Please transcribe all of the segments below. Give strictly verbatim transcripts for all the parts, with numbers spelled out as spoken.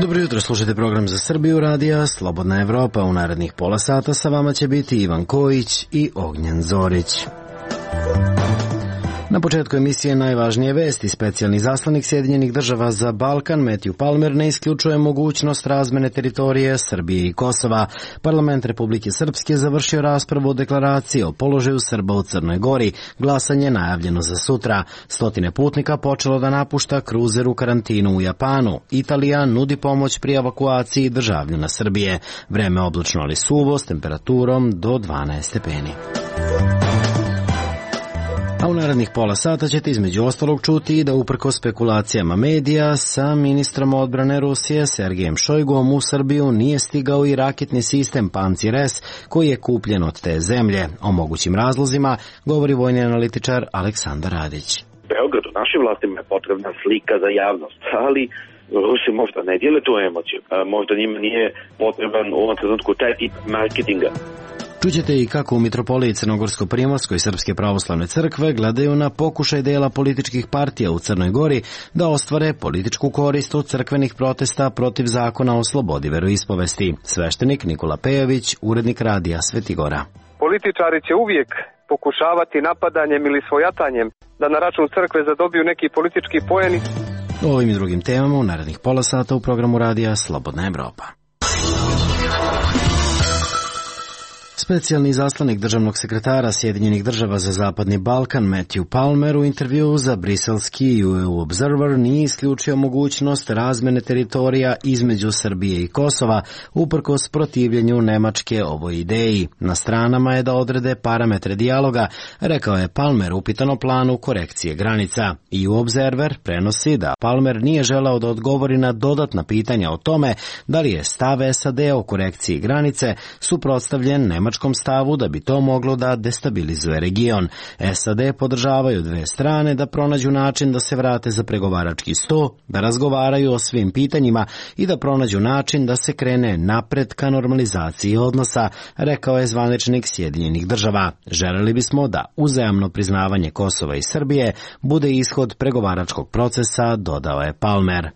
Dobro jutro, slušajte program za Srbiju radija Slobodna Evropa. U narednih pola sata sa vama će biti Ivan Kojić i Ognjen Zorić. Na početku emisije najvažnije vesti. Specijalni zaslanik Sjedinjenih država za Balkan Matthew Palmer ne isključuje mogućnost razmene teritorije Srbije i Kosova. Parlament Republike Srpske završio raspravu o deklaraciji o položaju Srba u Crnoj Gori. Glasanje najavljeno za sutra. Stotine putnika počelo da napušta kruzer u karantinu u Japanu. Italija nudi pomoć pri evakuaciji državljana Srbije. Vreme oblačno ali suvo s temperaturom do dvanaest stepeni. A u narednih pola sata ćete između ostalog čuti da uprkos spekulacijama medija sa ministrom odbrane Rusije Sergejem Šojguom u Srbiju nije stigao i raketni sistem Pancir-S koji je kupljen od te zemlje. O mogućim razlozima govori vojni analitičar Aleksandar Radić. Beogradu, našim vlastima je potrebna slika za javnost, ali Rusi možda ne dijele tu emociju. Možda njima nije potreban u ovom trenutku taj tip marketinga. Čućete i kako u Mitropoliji Crnogorsko-Primorskoj Srpske pravoslavne crkve gledaju na pokušaj dela političkih partija u Crnoj Gori da ostvare političku korist od crkvenih protesta protiv zakona o slobodi veroispovesti. Sveštenik Nikola Pejović, urednik radija Svetigora. Političari će uvijek pokušavati napadanjem ili svojatanjem da na račun crkve zadobiju neki politički poeni. O ovim i drugim temama u narednih pola sata u programu radija Slobodna Evropa. Specijalni izaslanik državnog sekretara Sjedinjenih država za Zapadni Balkan Matthew Palmer u intervjuu za briselski U E U Observer nije isključio mogućnost razmene teritorija između Srbije i Kosova uprkos protivljenju Nemačke ovoj ideji. Na stranama je da odrede parametre dijaloga, rekao je Palmer upitan o planu korekcije granica. I U Observer prenosi da Palmer nije želeo da odgovori na dodatna pitanja o tome da li je stav S A D o korekciji granice suprotstavljen Nemačkom stavu da bi to moglo da destabilizuje region. S A D podržavaju dve strane da pronađu način da se vrate za pregovarački sto, da razgovaraju o svim pitanjima i da pronađu način da se krene napred ka normalizaciji odnosa, rekao je zvaničnik Sjedinjenih država. Želeli bismo da uzajamno priznavanje Kosova i Srbije bude ishod pregovaračkog procesa, dodao je Palmer.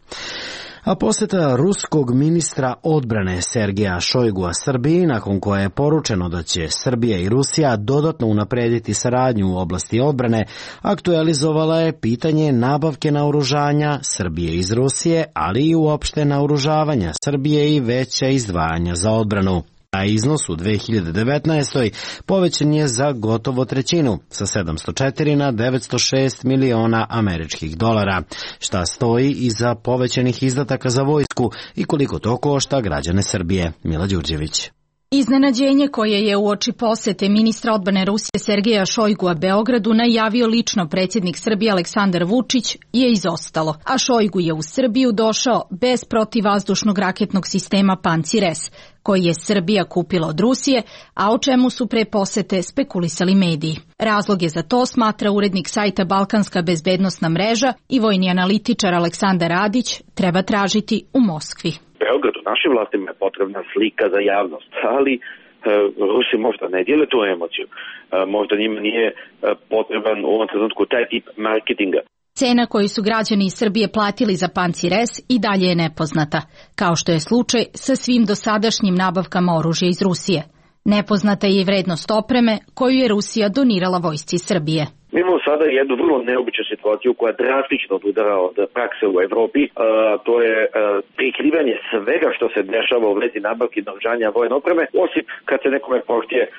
A posjeta ruskog ministra odbrane Sergeja Šojgua Srbiji, nakon koje je poručeno da će Srbija i Rusija dodatno unaprediti saradnju u oblasti odbrane, aktualizovala je pitanje nabavke naoružanja Srbije iz Rusije, ali i uopšte naoružavanja Srbije i veća izdvajanja za odbranu. A iznos u dve hiljade devetnaestoj. povećan je za gotovo trećinu, sa sedamsto četiri na devetsto šest miliona američkih dolara. Šta stoji iza povećanih izdataka za vojsku i koliko to košta građane Srbije? Mila Đurđević. Iznenađenje koje je uoči posete ministra odbrane Rusije Sergeja Šojgua Beogradu najavio lično predsjednik Srbije Aleksandar Vučić je izostalo, a Šojgu je u Srbiju došao bez protivvazdušnog raketnog sistema Pancir-S, koji je Srbija kupila od Rusije, a o čemu su pre posete spekulisali mediji. Razloge za to smatra urednik sajta Balkanska bezbednosna mreža i vojni analitičar Aleksandar Radić treba tražiti u Moskvi. Beogradu, našim vlastima je potrebna slika za javnost, ali e, Rusi možda ne dijele tu emociju. E, možda njima nije e, potreban u ovom trenutku taj tip marketinga. Cena koju su građani iz Srbije platili za Pancir-S i dalje je nepoznata, kao što je slučaj sa svim dosadašnjim nabavkama oružja iz Rusije. Nepoznata je i vrednost opreme koju je Rusija donirala vojsci Srbije. Mi imamo sada jednu vrlo neobičnu situaciju koja drastično odudara od prakse u Evropi. E, to je e, prikrivanje svega što se dešava u vezi nabavki i naoružanja vojne opreme, osim kad se nekome pohtije e,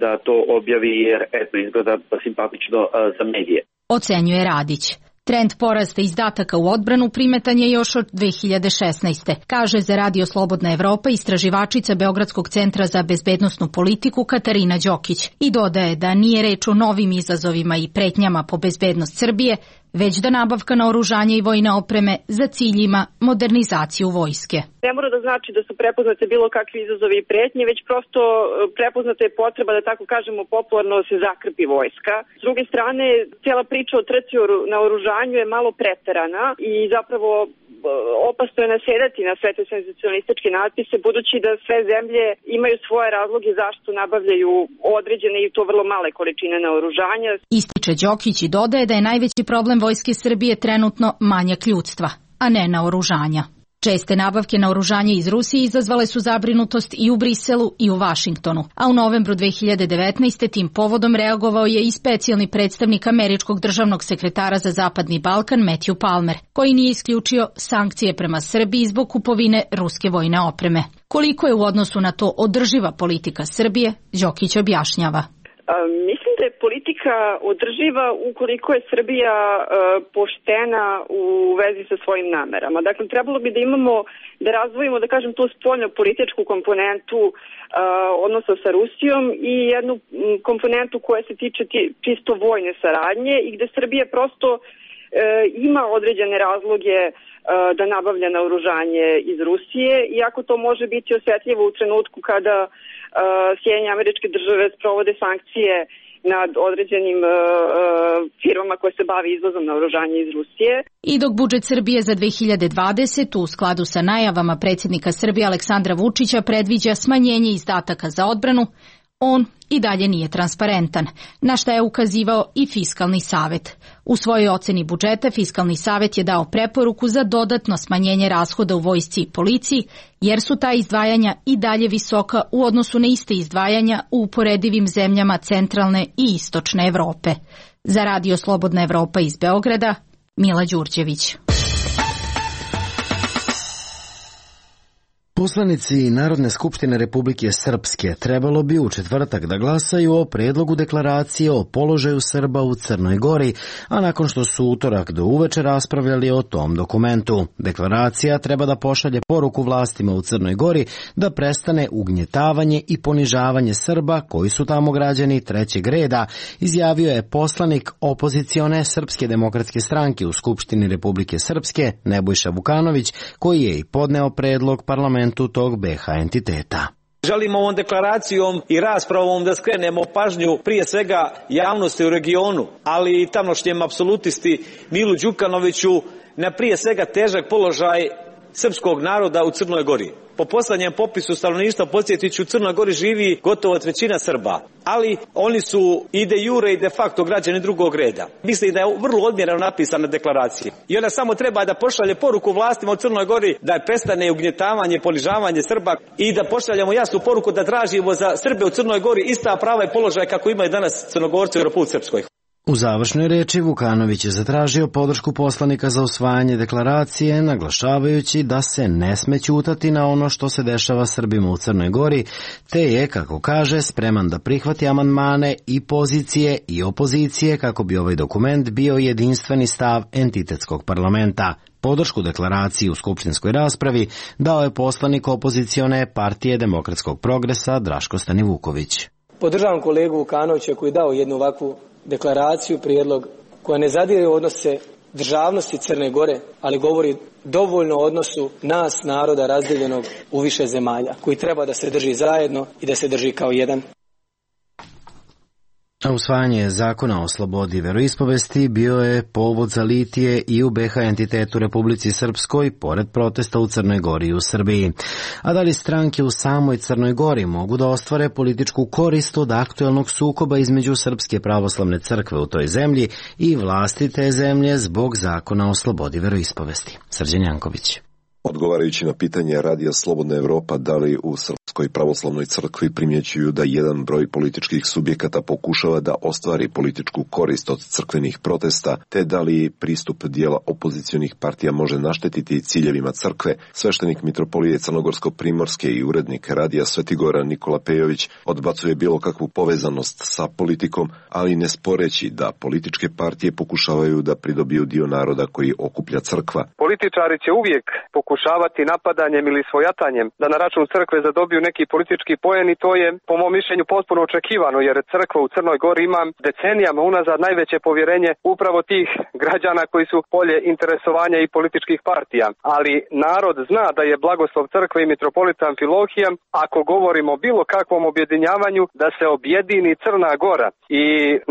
da to objavi jer eto izgleda simpatično e, za medije. Ocenjuje Radić. Trend porasta izdataka u odbranu primetan je još od dve hiljade šesnaeste. Kaže za Radio Slobodna Evropa istraživačica Beogradskog centra za bezbednosnu politiku Katarina Đokić i dodaje da nije reč o novim izazovima i pretnjama po bezbednost Srbije, već da nabavka naoružanja i vojne opreme za cilj ima modernizaciju vojske. Ne mora da znači da su prepoznate bilo kakvi izazovi i pretnje, već prosto prepoznata je potreba da tako kažemo popularno se zakrpi vojska. S druge strane, cijela priča o trci o naoružanju je malo preterana i zapravo opasno je nasedati na sve te senzacionalističke natpise, budući da sve zemlje imaju svoje razloge zašto nabavljaju određene i to vrlo male količine naoružanja. Ističe Đokić i dodaje da je najveći problem vojske Srbije trenutno manjak ljudstva, a ne naoružanja. Česte nabavke naoružanja iz Rusije izazvale su zabrinutost i u Briselu i u Vašingtonu, a u novembru dve hiljade devetnaeste. tim povodom reagovao je i specijalni predstavnik američkog državnog sekretara za Zapadni Balkan Matthew Palmer, koji nije isključio sankcije prema Srbiji zbog kupovine ruske vojne opreme. Koliko je u odnosu na to održiva politika Srbije, Đokić objašnjava. Mislim da je politika održiva ukoliko je Srbija e, poštena u vezi sa svojim namerama. Dakle, trebalo bi da imamo, da razvojimo, da kažem, tu spoljno političku komponentu e, odnosa sa Rusijom i jednu komponentu koja se tiče čisto vojne saradnje i gde Srbija prosto e, ima određene razloge e, da nabavlja naoružanje iz Rusije, iako to može biti osjetljivo u trenutku kada Sjedinjene Američke Države sprovode sankcije nad određenim uh, firmama koje se bave izvozom naoružanja iz Rusije. I dok budžet Srbije za dve hiljade dvadesetu. u skladu sa najavama predsjednika Srbije Aleksandra Vučića predviđa smanjenje izdataka za odbranu, on i dalje nije transparentan, na šta je ukazivao i Fiskalni savet. U svojoj oceni budžeta Fiskalni savet je dao preporuku za dodatno smanjenje rashoda u vojsci i policiji, jer su ta izdvajanja i dalje visoka u odnosu na iste izdvajanja u uporedivim zemljama centralne i istočne Evrope. Za Radio Slobodna Evropa iz Beograda, Mila Đurđević. Poslanici Narodne skupštine Republike Srpske trebalo bi u četvrtak da glasaju o predlogu deklaracije o položaju Srba u Crnoj Gori, a nakon što su utorak do uveče raspravljali o tom dokumentu. Deklaracija treba da pošalje poruku vlastima u Crnoj Gori da prestane ugnjetavanje i ponižavanje Srba koji su tamo građani trećeg reda, izjavio je poslanik opozicione Srpske demokratske stranke u Skupštini Republike Srpske Nebojša Vukanović, koji je i podneo predlog parlamentu tog be ha entiteta. Želimo ovom deklaracijom i raspravom da skrenemo pažnju prije svega javnosti u regionu, ali i tamošnjem apsolutisti Milu Đukanoviću na prije svega težak položaj srpskog naroda u Crnoj Gori. Po poslednjem popisu stanovništva, podsjetit ću, u Crnoj Gori živi gotovo trećina Srba, ali oni su i de jure i de facto građani drugog reda. Mislim da je vrlo odmjereno napisana deklaracija. I ona samo treba da pošalje poruku vlastima u Crnoj Gori da prestane ugnjetavanje i ponižavanje Srba i da pošaljemo jasnu poruku da tražimo za Srbe u Crnoj Gori ista prava i položaj kako imaju danas Crnogorci u Republici Srpskoj. U završnoj reči Vukanović je zatražio podršku poslanika za usvajanje deklaracije, naglašavajući da se ne sme ćutati na ono što se dešava Srbima u Crnoj Gori, te je, kako kaže, spreman da prihvati amandmane i pozicije i opozicije kako bi ovaj dokument bio jedinstveni stav entitetskog parlamenta. Podršku deklaraciji u skupštinskoj raspravi dao je poslanik opozicione partije Demokratskog progresa Draško Stanivuković. Podržavam kolegu Vukanovića koji je dao jednu ovakvu deklaraciju, prijedlog koja ne zadire u odnose državnosti Crne Gore, ali govori dovoljno o odnosu nas, naroda razdeljenog u više zemalja, koji treba da se drži zajedno i da se drži kao jedan. A usvajanje zakona o slobodi veroispovesti bio je povod za litije i u be ha entitetu Republici Srpskoj, pored protesta u Crnoj Gori i u Srbiji. A da li stranke u samoj Crnoj Gori mogu da ostvare političku korist od aktuelnog sukoba između Srpske pravoslavne crkve u toj zemlji i vlasti te zemlje zbog zakona o slobodi veroispovesti? Srđan Janković. Odgovarajući na pitanje Radija Slobodna Evropa da li u Srpskoj pravoslavnoj crkvi primjećuju da jedan broj političkih subjekata pokušava da ostvari političku korist od crkvenih protesta, te da li pristup dijela opozicionih partija može naštetiti ciljevima crkve, sveštenik mitropolije Crnogorsko-Primorske i urednik Radija Svetigora Nikola Pejović odbacuje bilo kakvu povezanost sa politikom, ali ne sporeći da političke partije pokušavaju da pridobiju dio naroda koji okuplja crkva. Političari će uvijek pokušavati napadanjem ili svojatanjem da na račun crkve zadobiju neki politički poen i to je po mom mišljenju potpuno očekivano, jer crkva u Crnoj Gori ima decenijama unazad najveće povjerenje upravo tih građana koji su polje interesovanja i političkih partija. Ali narod zna da je blagoslov crkve i mitropolita Amfilohija, ako govorimo o bilo kakvom objedinjavanju, da se objedini Crna Gora i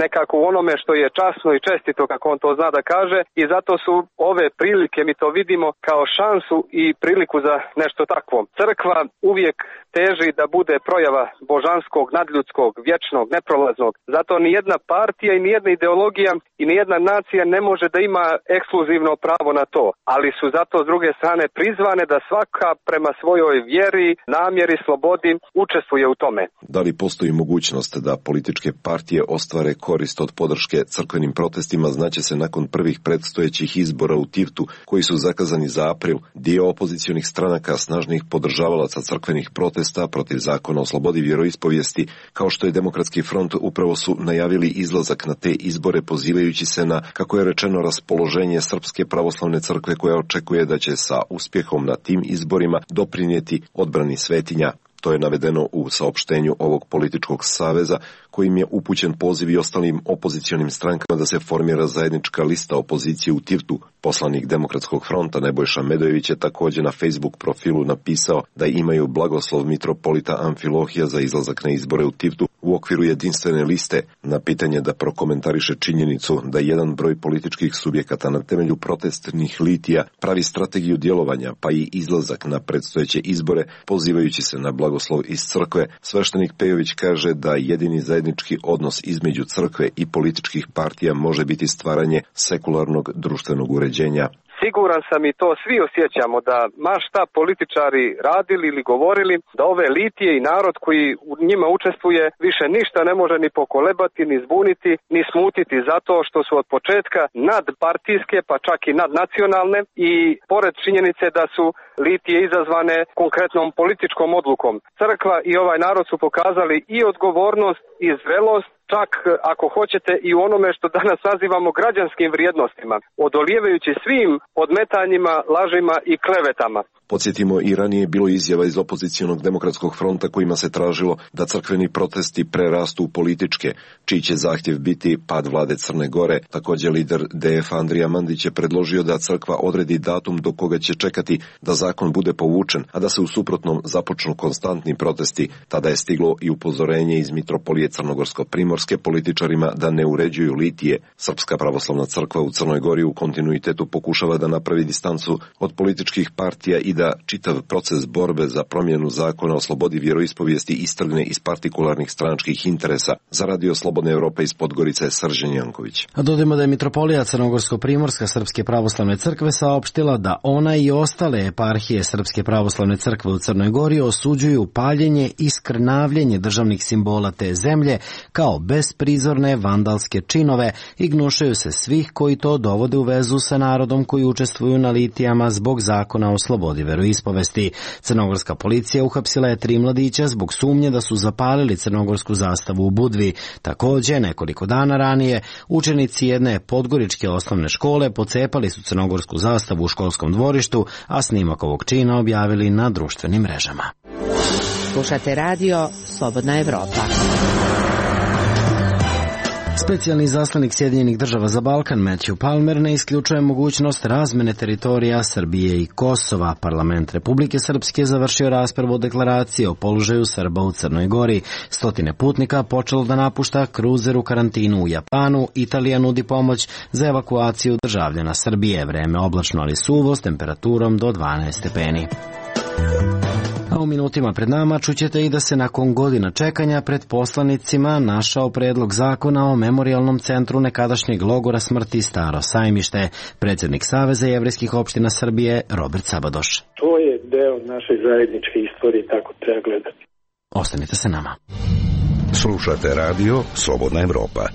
nekako u onome što je časno i čestito, kako on to zna da kaže, i zato su ove prilike, mi to vidimo kao šansu i priliku za nešto takvo. Crkva uvijek teži da bude projava božanskog, nadljudskog, vječnog, neprolaznog. Zato ni jedna partija i ni jedna ideologija i ni jedna nacija ne može da ima ekskluzivno pravo na to, ali su zato s druge strane prizvane da svaka prema svojoj vjeri, namjeri, slobodi učestvuje u tome. Da li postoji mogućnost da političke partije ostvare korist od podrške crkvenim protestima, znaće se nakon prvih predstojećih izbora u Tivtu, koji su zakazani za april. Dio opozicionih stranaka snažnih podržavalaca crkvenih protesta protiv zakona o slobodi vjeroispovijesti, kao što je Demokratski front, upravo su najavili izlazak na te izbore pozivajući se na, kako je rečeno, raspoloženje Srpske pravoslavne crkve koja očekuje da će sa uspjehom na tim izborima doprinijeti odbrani svetinja. To je navedeno u saopštenju ovog političkog saveza, kojim je upućen poziv i ostalim opozicionim strankama da se formira zajednička lista opozicije u Tivtu. Poslanik Demokratskog fronta Nebojša Medojević je također na Facebook profilu napisao da imaju blagoslov mitropolita Amfilohija za izlazak na izbore u Tivtu u okviru jedinstvene liste. Na pitanje da prokomentariše činjenicu da jedan broj političkih subjekata na temelju protestnih litija pravi strategiju djelovanja pa i izlazak na predstojeće izbore pozivajući se na blagoslov iz crkve, sveštenik Pejović kaže da jedini zajednički odnos između crkve i političkih partija može biti stvaranje sekularnog društvenog uređenja. Siguran sam i to svi osjećamo da ma šta političari radili ili govorili, da ove litije i narod koji u njima učestvuje više ništa ne može ni pokolebati, ni zbuniti, ni smutiti zato što su od početka nadpartijske pa čak i nadnacionalne i pored činjenice da su litije izazvane konkretnom političkom odlukom. Crkva i ovaj narod su pokazali i odgovornost i zrelost, čak ako hoćete i u onome što danas nazivamo građanskim vrijednostima, odolijevajući svim odmetanjima, lažima i klevetama. Podsjetimo, i ranije bilo izjava iz opozicionog Demokratskog fronta kojima se tražilo da crkveni protesti prerastu u političke, čiji će zahtjev biti pad vlade Crne Gore. Također lider D F Andrija Mandić je predložio da crkva odredi datum do koga će čekati da zakon bude povučen, a da se u suprotnom započnu konstantni protesti. Tada je stiglo i upozorenje iz mitropolije Crnogorsko-Primorske političarima da ne uređuju litije. Srpska pravoslavna crkva u Crnoj Gori u kontinuitetu pokušava da napravi distancu od političkih partija i da čitav proces borbe za promjenu zakona o slobodi vjeroispovijesti istrgne iz partikularnih stranačkih interesa. Za Radio Slobodne Evrope iz Podgorice, Srđan Janković. A dodajmo da je mitropolija Crnogorsko-Primorska Srpske pravoslavne crkve saopštila da ona i ostale eparhije Srpske pravoslavne crkve u Crnoj Gori osuđuju paljenje i skrnavljenje državnih simbola te zemlje kao besprizorne vandalske činove i gnušaju se svih koji to dovode u vezu sa narodom koji učestvuju na litijama zbog zakona o slobodi veroispovesti. Crnogorska policija uhapsila je tri mladića zbog sumnje da su zapalili crnogorsku zastavu u Budvi. Također, nekoliko dana ranije, učenici jedne podgoričke osnovne škole pocepali su crnogorsku zastavu u školskom dvorištu, a snimak ovog čina objavili na društvenim mrežama. Slušate radio Slobodna Evropa. Specijalni izaslanik Sjedinjenih država za Balkan Matthew Palmer ne isključuje mogućnost razmene teritorija Srbije i Kosova. Parlament Republike Srpske završio raspravu o deklaraciji o položaju Srba u Crnoj Gori. Stotine putnika počelo da napušta kruzer u karantinu u Japanu. Italija nudi pomoć za evakuaciju državljana Srbije. Vreme oblačno ali suvo s temperaturom do dvanaest stepeni. A u minutima pred nama čućete i da se nakon godina čekanja pred poslanicima našao predlog zakona o memorijalnom centru nekadašnjeg logora smrti Staro Sajmište. Predsjednik Saveza jevrejskih opština Srbije Robert Sabadoš. To je deo naše zajedničke istorije, tako treba gledati. Ostanite sa nama. Slušate radio Slobodna Evropa.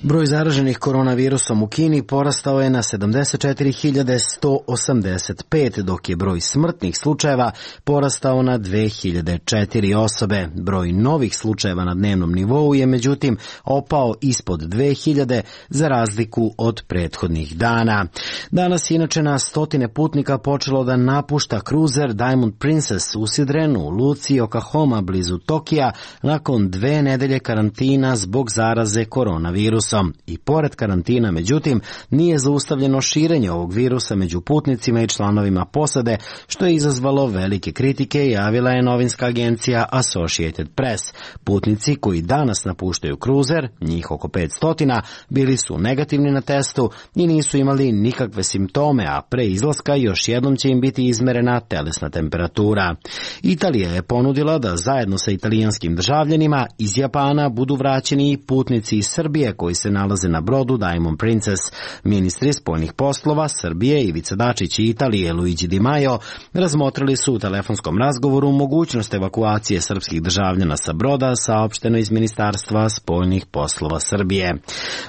Broj zaraženih koronavirusom u Kini porastao je na sedamdeset četiri hiljade sto osamdeset pet, dok je broj smrtnih slučajeva porastao na dve hiljade četiri osobe. Broj novih slučajeva na dnevnom nivou je međutim opao ispod dve hiljade za razliku od prethodnih dana. Danas je inače na stotine putnika počelo da napušta kruzer Diamond Princess usidren u luci Oklahoma blizu Tokija nakon dve nedelje karantina zbog zaraze koronavirusom. virusom. I pored karantina, međutim, nije zaustavljeno širenje ovog virusa među putnicima i članovima posade, što je izazvalo velike kritike, javila je novinska agencija Associated Press. Putnici koji danas napuštaju kruzer, njih oko petsto, bili su negativni na testu i nisu imali nikakve simptome, a pre izlaska još jednom će im biti izmerena telesna temperatura. Italija je ponudila da zajedno sa italijanskim državljanima iz Japana budu vraćeni i putnici iz Srbije koji se nalaze na brodu Diamond Princess. Ministri spoljnih poslova Srbije Ivica Dačić i Italije Luigi Di Maio razmotrili su u telefonskom razgovoru mogućnost evakuacije srpskih državljana sa broda, saopšteno iz Ministarstva spoljnih poslova Srbije.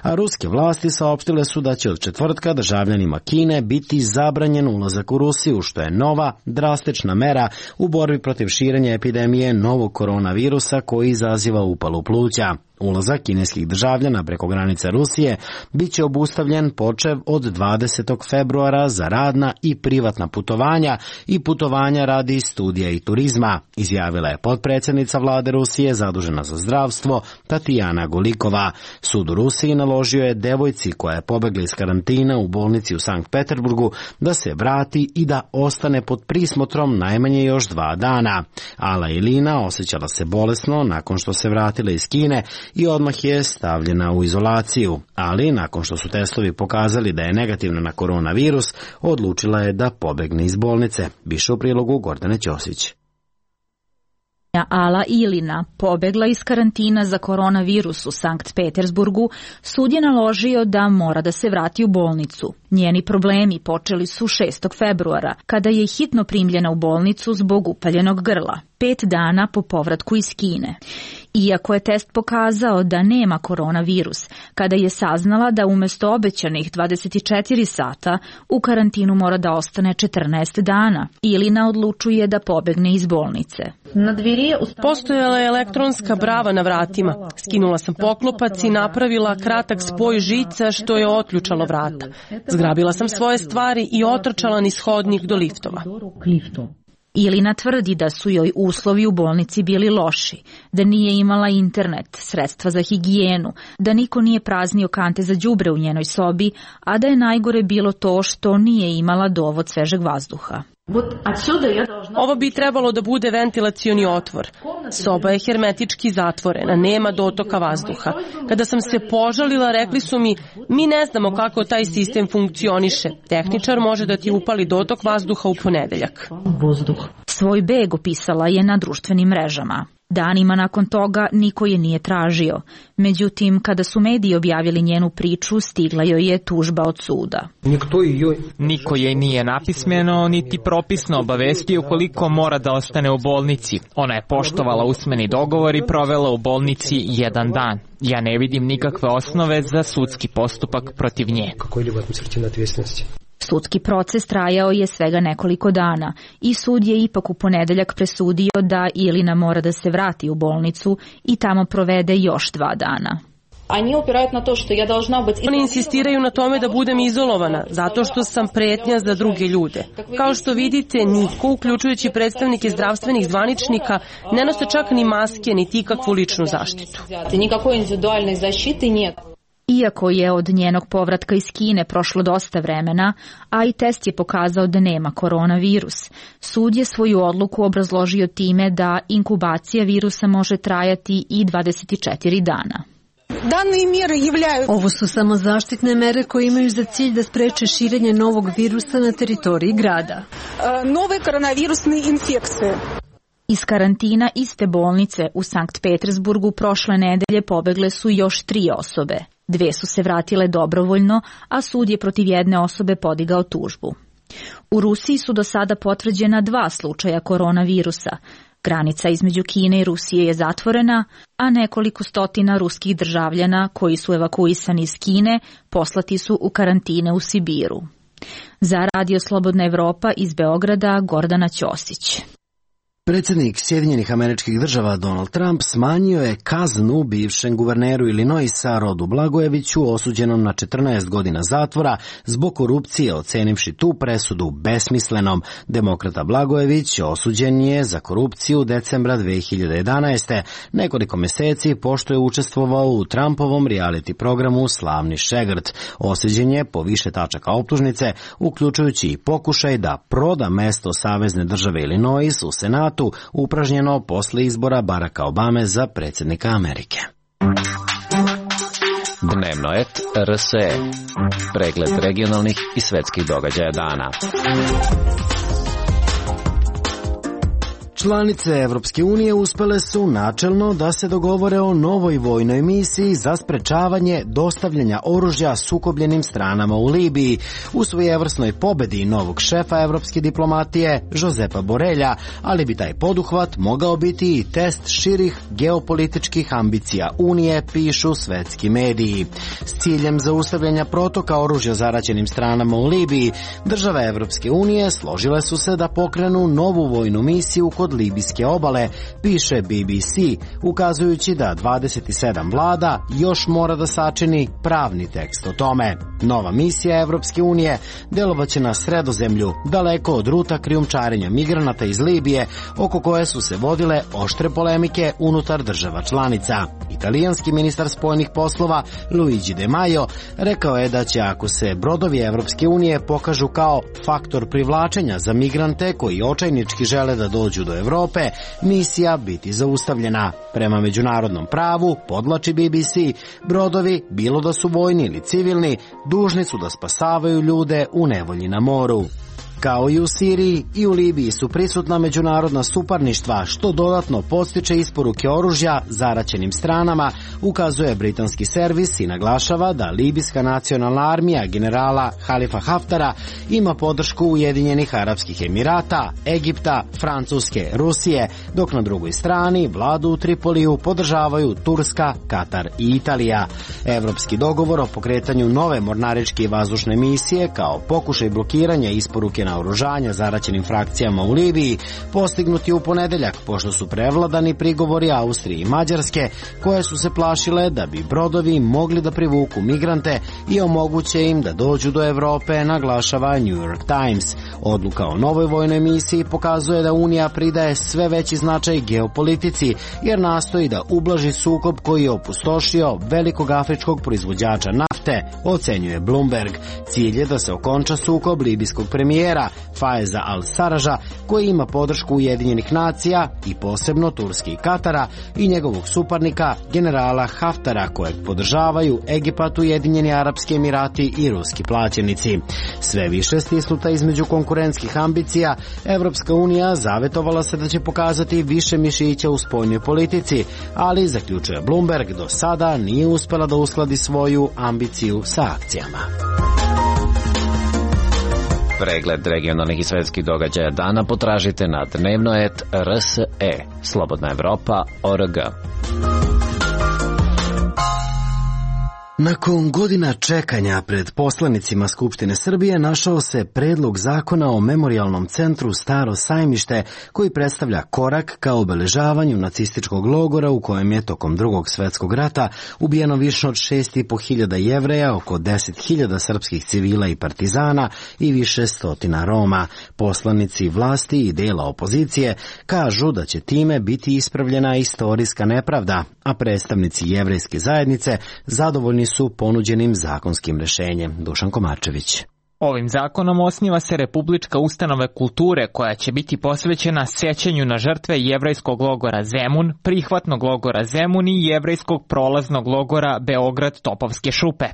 A ruske vlasti saopštile su da će od četvrtka državljanima Kine biti zabranjen ulazak u Rusiju, što je nova, drastična mera u borbi protiv širenja epidemije novog koronavirusa koji izaziva upalu pluća. Ulazak kineskih državljana preko granice Rusije bit će obustavljen počev od dvadesetog februara za radna i privatna putovanja i putovanja radi studija i turizma, izjavila je potpredsjednica vlade Rusije zadužena za zdravstvo Tatjana Golikova. Sud u Rusiji naložio je devojci koja je pobegla iz karantina u bolnici u Sankt Peterburgu da se vrati i da ostane pod prismotrom najmanje još dva dana. Ala Ilina osjećala se bolesno nakon što se vratila iz Kine i odmah je stavljena u izolaciju, ali nakon što su testovi pokazali da je negativna na koronavirus, odlučila je da pobegne iz bolnice. Više u prilogu Gordane Ćosić. Ala Ilina pobegla iz karantina za koronavirus u Sankt Petersburgu, sud je naložio da mora da se vrati u bolnicu. Njeni problemi počeli su šestog februara, kada je hitno primljena u bolnicu zbog upaljenog grla, pet dana po povratku iz Kine. Iako je test pokazao da nema koronavirus, kada je saznala da umesto obećanih dvadeset četiri sata u karantinu mora da ostane četrnaest dana, Ilina odlučuje da pobegne iz bolnice. Postojala je elektronska brava na vratima. Skinula sam poklopac i napravila kratak spoj žica što je otključalo vrata. Zgrabila sam svoje stvari i otrčala niz hodnik do liftova. Ilina tvrdi da su joj uslovi u bolnici bili loši, da nije imala internet, sredstva za higijenu, da niko nije praznio kante za đubre u njenoj sobi, a da je najgore bilo to što nije imala dovod svežeg vazduha. Ovo bi trebalo da bude ventilacioni otvor. Soba je hermetički zatvorena, nema dotoka vazduha. Kada sam se požalila, rekli su mi, mi ne znamo kako taj sistem funkcioniše. Tehničar može da ti upali dotok vazduha u ponedeljak. Svoj beg opisala je na društvenim mrežama. Danima nakon toga niko je nije tražio. Međutim, kada su mediji objavili njenu priču, stigla joj je tužba od suda. Niko je nije napismeno, niti propisno obavestio koliko mora da ostane u bolnici. Ona je poštovala usmeni dogovor i provela u bolnici jedan dan. Ja ne vidim nikakve osnove za sudski postupak protiv nje. Sudski proces trajao je svega nekoliko dana i sud je ipak u ponedeljak presudio da Ilina mora da se vrati u bolnicu i tamo provede još dva dana. Oni insistiraju na tome da budem izolovana, zato što sam pretnja za druge ljude. Kao što vidite, niko, uključujući predstavnike zdravstvenih zvaničnika, ne nose čak ni maske, niti ikakvu ličnu zaštitu. Iako je od njenog povratka iz Kine prošlo dosta vremena, a i test je pokazao da nema koronavirus, sud je svoju odluku obrazložio time da inkubacija virusa može trajati i dvadeset četiri dana. Ovo su samo zaštitne mere koje imaju za cilj da spreče širenje novog virusa na teritoriji grada. Nove koronavirusne infekcije. Iz karantina iste bolnice u Sankt Petersburgu prošle nedelje pobegle su još tri osobe. Dve su se vratile dobrovoljno, a sud je protiv jedne osobe podigao tužbu. U Rusiji su do sada potvrđena dva slučaja koronavirusa. Granica između Kine i Rusije je zatvorena, a nekoliko stotina ruskih državljana koji su evakuisani iz Kine poslati su u karantine u Sibiru. Za Radio Slobodna Evropa iz Beograda, Gordana Ćosić. Predsjednik Sjedinjenih Američkih Država Donald Trump smanjio je kaznu bivšem guverneru Illinoisa Rodu Blagojeviću osuđenom na četrnaest godina zatvora zbog korupcije, ocenivši tu presudu besmislenom. Demokrata Blagojević osuđen je za korupciju decembra dve hiljade jedanaeste. Nekoliko meseci pošto je učestvovao u Trumpovom reality programu Slavni šegrt. Osuđen je po više tačaka optužnice, uključujući i pokušaj da proda mesto savezne države Illinois u Senatu, upražnjeno posle izbora Baracka Obame za predsjednika Amerike. Dnevno et R S E. Pregled regionalnih i svetskih događaja dana. Članice Evropske unije uspele su načelno da se dogovore o novoj vojnoj misiji za sprečavanje dostavljanja oružja sukobljenim stranama u Libiji u svojevrsnoj pobedi novog šefa evropske diplomatije Josepa Borelja, ali bi taj poduhvat mogao biti i test širih geopolitičkih ambicija Unije, pišu svetski mediji. S ciljem zaustavljanja protoka oružja zaraćenim stranama u Libiji, države Evropske unije složile su se da pokrenu novu vojnu misiju kod libijske obale, piše B B C, ukazujući da dvadeset sedam vlada još mora da sačini pravni tekst o tome. Nova misija Evropske unije delovaće na Sredozemlju, daleko od ruta krijumčarenja migranata iz Libije, oko koje su se vodile oštre polemike unutar država članica. Italijanski ministar spoljnih poslova Luigi De Maio rekao je da će, ako se brodovi Evropske unije pokažu kao faktor privlačenja za migrante koji očajnički žele da dođu do Evrope, misija biti zaustavljena. Prema međunarodnom pravu, podlači B B C, brodovi, bilo da su vojni ili civilni, dužni su da spasavaju ljude u nevolji na moru. Kao i u Siriji, i u Libiji su prisutna međunarodna suparništva, što dodatno podstiče isporuke oružja zaraćenim stranama, ukazuje britanski servis i naglašava da libijska nacionalna armija generala Halifa Haftara ima podršku Ujedinjenih Arapskih Emirata, Egipta, Francuske, Rusije, dok na drugoj strani vladu u Tripoliju podržavaju Turska, Katar i Italija. Evropski dogovor o pokretanju nove mornaričke i vazdušne misije kao pokušaj blokiranja isporuke naoružanja zaraćenim frakcijama u Libiji postignuti u ponedeljak, pošto su prevladani prigovori Austrije i Mađarske, koje su se plašile da bi brodovi mogli da privuku migrante i omoguće im da dođu do Evrope, naglašava New York Times. Odluka o novoj vojnoj misiji pokazuje da Unija pridaje sve veći značaj geopolitici, jer nastoji da ublaži sukob koji je opustošio velikog afričkog proizvođača nafte, ocenjuje Bloomberg. Cilj je da se okonča sukob libijskog premijera Faiza al-Saraja, koji ima podršku Ujedinjenih nacija i posebno Turske i Katara, i njegovog suparnika generala Haftara, kojeg podržavaju Egipat, Ujedinjeni Arapski Emirati i ruski plaćenici. Sve više stisnuta između konkurentskih ambicija, Evropska unija zavetovala se da će pokazati više mišića u spoljnoj politici, ali, zaključuje Bloomberg, do sada nije uspela da uskladi svoju ambiciju sa akcijama. Pregled regionalnih i svetskih događaja dana potražite na dnevno et R S E. Slobodna Evropa O R G. Nakon godina čekanja pred poslanicima Skupštine Srbije našao se predlog zakona o memorijalnom centru Staro sajmište, koji predstavlja korak ka obeležavanju nacističkog logora u kojem je tokom Drugog svetskog rata ubijeno više od šest i po hiljada Jevreja, oko deset hiljada srpskih civila i partizana i više stotina Roma. Poslanici vlasti i dela opozicije kažu da će time biti ispravljena istorijska nepravda, a predstavnici jevrejske zajednice zadovoljni su ponuđenim zakonskim rešenjem. Dušan Komarčević. Ovim zakonom osniva se Republička ustanova kulture koja će biti posvećena sećanju na žrtve jevrejskog logora Zemun, prihvatnog logora Zemun i jevrejskog prolaznog logora Beograd Topovske šupe.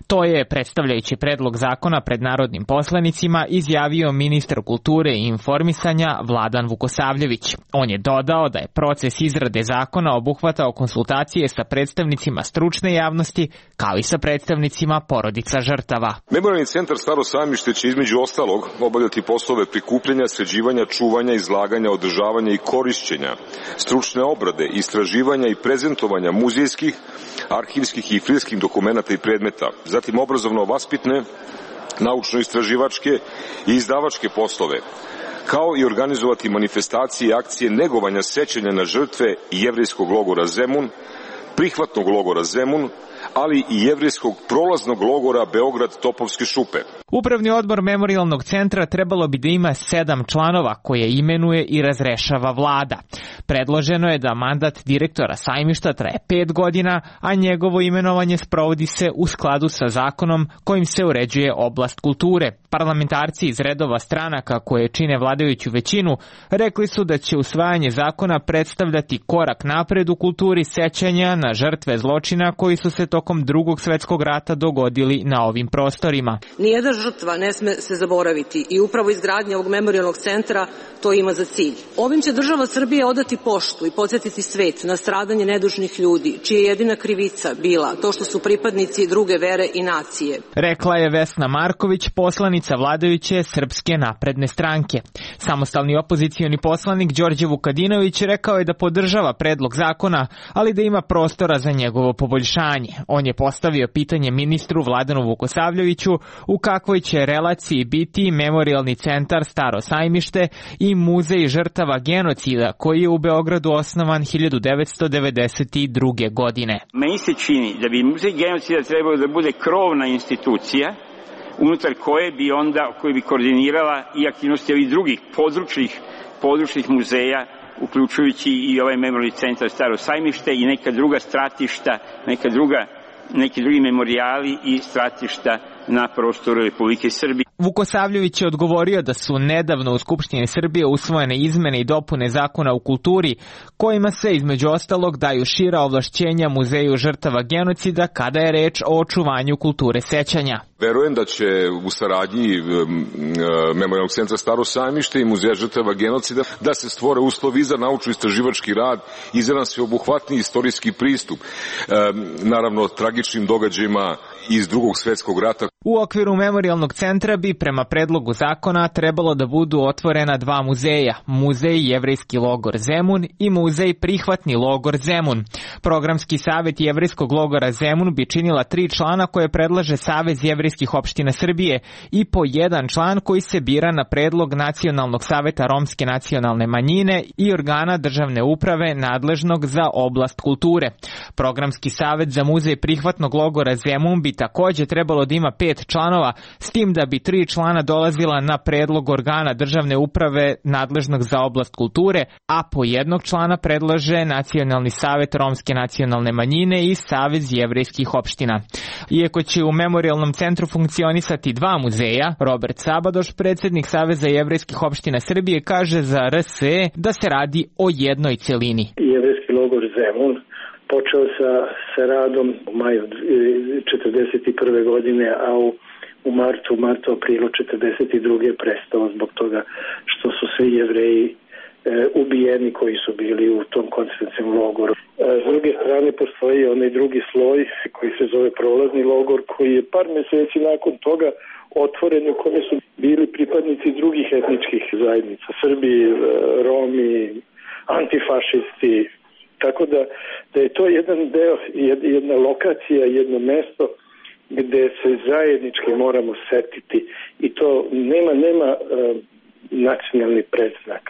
To je, predstavljajući predlog zakona pred narodnim poslanicima, izjavio ministar kulture i informisanja Vladan Vukosavljević. On je dodao da je proces izrade zakona obuhvatao konsultacije sa predstavnicima stručne javnosti, kao i sa predstavnicima porodica žrtava. Memorijalni centar Staro sajmište će između ostalog obavljati poslove prikupljanja, sređivanja, čuvanja, izlaganja, održavanja i korišćenja, stručne obrade, istraživanja i prezentovanja muzejskih, arhivskih i filmskih dokumenata i predmeta, zatim obrazovno-vaspitne, naučno-istraživačke i izdavačke poslove, kao i organizovati manifestacije i akcije negovanja sećanja na žrtve jevrejskog logora Zemun, prihvatnog logora Zemun, ali i jevrejskog prolaznog logora Beograd Topovske šupe. Upravni odbor Memorijalnog centra trebalo bi da ima sedam članova koje imenuje i razrešava vlada. Predloženo je da mandat direktora sajmišta traje pet godina, a njegovo imenovanje sprovodi se u skladu sa zakonom kojim se uređuje oblast kulture. Parlamentarci iz redova stranaka koje čine vladajuću većinu rekli su da će usvajanje zakona predstavljati korak napred u kulturi sećanja na žrtve zločina koji su se tokom Drugog svetskog rata dogodili na ovim prostorima. Nijedna žrtva ne sme se zaboraviti i upravo izgradnja ovog memorijalnog centra to ima za cilj. Ovim će država Srbije odati poštu i podsjetiti svet na stradanje nedužnih ljudi, čija je jedina krivica bila to što su pripadnici druge vere i nacije. Rekla je Vesna Marković, poslanica vladajuće Srpske napredne stranke. Samostalni opozicioni poslanik Đorđe Vukadinović rekao je da podržava predlog zakona, ali da ima prostora za njegovo poboljšanje. On je postavio pitanje ministru Vladanu Vukosavljeviću u kakvoj će relaciji biti Memorijalni centar Staro sajmište i Muzej žrtava genocida koji je u Beogradu osnovan hiljadu devetsto devedeset druge. godine. Meni se čini da bi Muzej genocida trebalo da bude krovna institucija unutar koje bi onda, koje bi koordinirala i aktivnosti ovih drugih područnih, područnih muzeja, uključujući i ovaj Memorijalni centar Staro sajmište i neka druga stratišta, neka druga, neki drugi memorijali i stratišta na prostoru Republike Srbije. Vukosavljević je odgovorio da su nedavno u Skupštini Srbije usvojene izmene i dopune zakona o kulturi, kojima se između ostalog daju šira ovlašćenja Muzeju žrtava genocida kada je reč o očuvanju kulture sećanja. Verujem da će u saradnji Memorijalnog centra Staro sajmište i Muzeja žrtava genocida da se stvore uslovi za naučno-istraživački rad i za jedan sveobuhvatni istorijski pristup, naravno tragičnim događajima iz Drugog svetskog rata. U okviru Memorijalnog centra bi prema predlogu zakona trebalo da budu otvorena dva muzeja, Muzej Jevrejski logor Zemun i Muzej Prihvatni logor Zemun. Programski savet Jevrejskog logora Zemun bi činila tri člana koje predlaže Savez jevrejskih opština Srbije i po jedan član koji se bira na predlog Nacionalnog saveta romske nacionalne manjine i organa državne uprave nadležnog za oblast kulture. Programski savet za Muzej Prihvatnog logora Zemun bi takođe trebalo da ima pet članova, s tim da bi tri člana dolazila na predlog organa državne uprave nadležnog za oblast kulture, a po jednog člana predlaže Nacionalni savet romske nacionalne manjine i Savez jevrejskih opština. Iako će u Memorijalnom centru funkcionisati dva muzeja, Robert Sabadoš, predsjednik Saveza jevrejskih opština Srbije, kaže za R S E da se radi o jednoj celini. Jevrejski logor Zemun počeo sa, sa radom u maju četrdeset prve. godine, a u, u martu, martu, aprilu četrdeset druge. je prestao zbog toga što su svi Jevreji e, ubijeni koji su bili u tom koncentracionom logoru. E, s druge strane postoji onaj drugi sloj koji se zove prolazni logor, koji je par meseci nakon toga otvoren, u kome su bili pripadnici drugih etničkih zajednica, Srbi, Romi, antifašisti. Tako da, da je to jedan deo, jedna lokacija, jedno mesto gde se zajednički moramo setiti i to nema, nema uh, nacionalni predznak.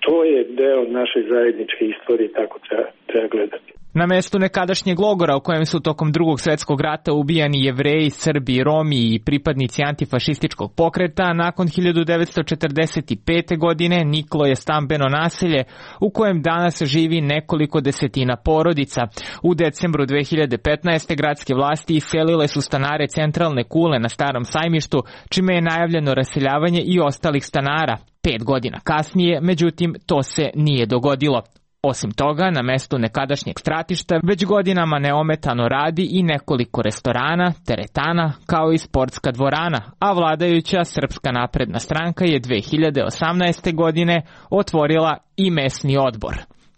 To je deo naše zajedničke istorije, tako treba, treba gledati. Na mestu nekadašnjeg logora u kojem su tokom Drugog svetskog rata ubijani Jevreji, Srbi, Romi i pripadnici antifašističkog pokreta, nakon hiljadu devetsto četrdeset pete. godine niklo je stambeno naselje u kojem danas živi nekoliko desetina porodica. U decembru dve hiljade petnaeste. gradske vlasti iselile su stanare Centralne kule na Starom sajmištu, čime je najavljeno raseljavanje i ostalih stanara. Pet godina kasnije, međutim, to se nije dogodilo. Osim toga, na mestu nekadašnjeg stratišta već godinama neometano radi i nekoliko restorana, teretana, kao i sportska dvorana, a vladajuća Srpska napredna stranka je dve hiljade osamnaeste. godine otvorila i mesni odbor.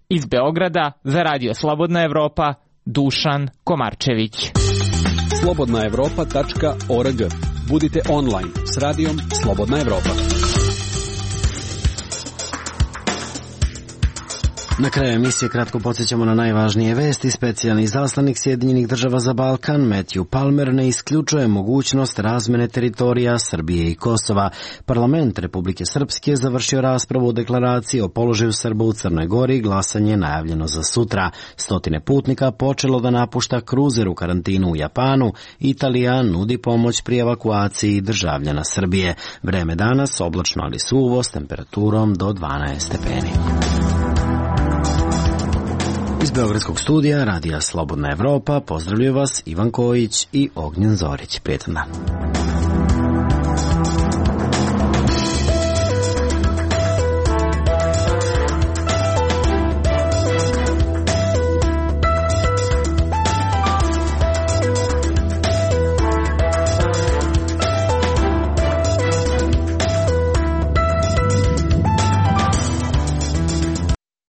Iz Beograda za Radio Slobodna Evropa, Dušan Komarčević. slobodna evropa tačka org. Budite online s radijom Slobodna Evropa. Na kraju emisije kratko podsjećamo na najvažnije vesti. Specijalni izaslanik Sjedinjenih država za Balkan Matthew Palmer ne isključuje mogućnost razmene teritorija Srbije i Kosova. Parlament Republike Srpske završio raspravu o deklaraciji o položaju Srba u Crnoj Gori. Glasanje je najavljeno za sutra. Stotine putnika počelo da napušta kruzer u karantinu u Japanu. Italija nudi pomoć pri evakuaciji državljana Srbije. Vreme danas oblačno ali suvo s temperaturom do dvanaest stepeni. Iz Beogradskog studija Radija Slobodna Evropa pozdravljaju vas Ivan Kojić i Ognjen Zorić. Prijetan dan.